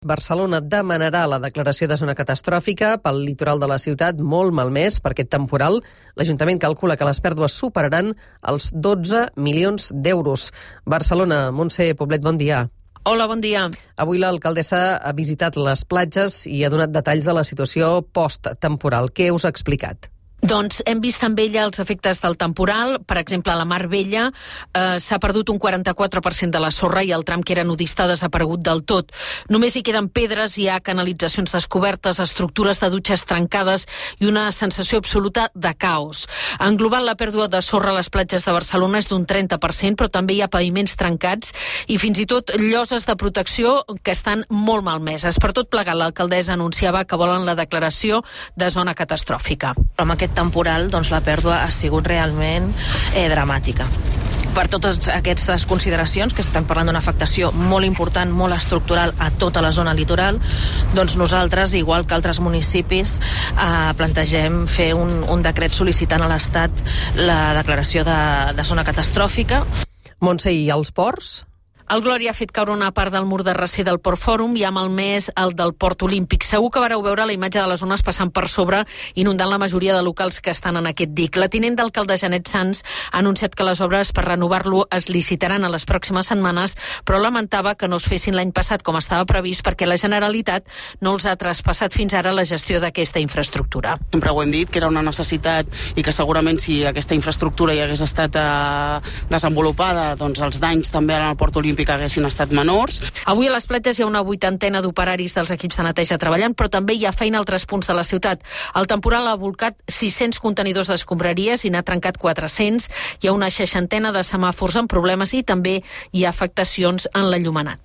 Barcelona demanarà la declaració de zona catastròfica pel litoral de la ciutat molt malmès per aquest temporal. L'Ajuntament calcula que les pèrdues superaran els 12 milions d'euros. Barcelona, Montse Poblet, bon dia. Hola, bon dia. Avui l'alcaldessa ha visitat les platges i ha donat detalls de la situació post-temporal. Què us ha explicat? Doncs hem vist amb ella els efectes del temporal. Per exemple, a la Mar Vella s'ha perdut un 44% de la sorra i el tram que era nudista ha desaparegut del tot. Només hi queden pedres, hi ha canalitzacions descobertes, estructures de dutxes trencades i una sensació absoluta de caos. En global, la pèrdua de sorra a les platges de Barcelona és d'un 30%, però també hi ha paviments trencats i fins i tot lloses de protecció que estan molt malmeses. Per tot plegat, l'alcaldessa anunciava que volen la declaració de zona catastròfica. Amb aquest temporal, doncs, la pèrdua ha sigut realment dramàtica. Per totes aquestes consideracions, que estem parlant d'una afectació molt important, molt estructural a tota la zona litoral, doncs nosaltres, igual que altres municipis, plantegem fer un decret sol·licitant a l'Estat la declaració de zona catastròfica. Montse, i els ports? El Glòria ha fet caure una part del mur de recer del Port Fòrum i ha malmès el del Port Olímpic. Segur que vareu veure la imatge de les ones passant per sobre, inundant la majoria de locals que estan en aquest dic. La tinent d'alcalde Janet Sans ha anunciat que les obres per renovar-lo es licitaran a les pròximes setmanes, però lamentava que no es fessin l'any passat com estava previst perquè la Generalitat no els ha traspassat fins ara la gestió d'aquesta infraestructura. Sempre ho hem dit, que era una necessitat i que segurament si aquesta infraestructura hi hagués estat desenvolupada, doncs els danys també en el Port Olímpic que haguessin estat menors. Avui a les platges hi ha una 80ena d'operaris dels equips de neteja treballant, però també hi ha feina a altres punts de la ciutat. El temporal ha volcat 600 contenidors d'escombraries i n'ha trencat 400. Hi ha una 60ena de semàfors amb problemes i també hi ha afectacions en l'enllumenat.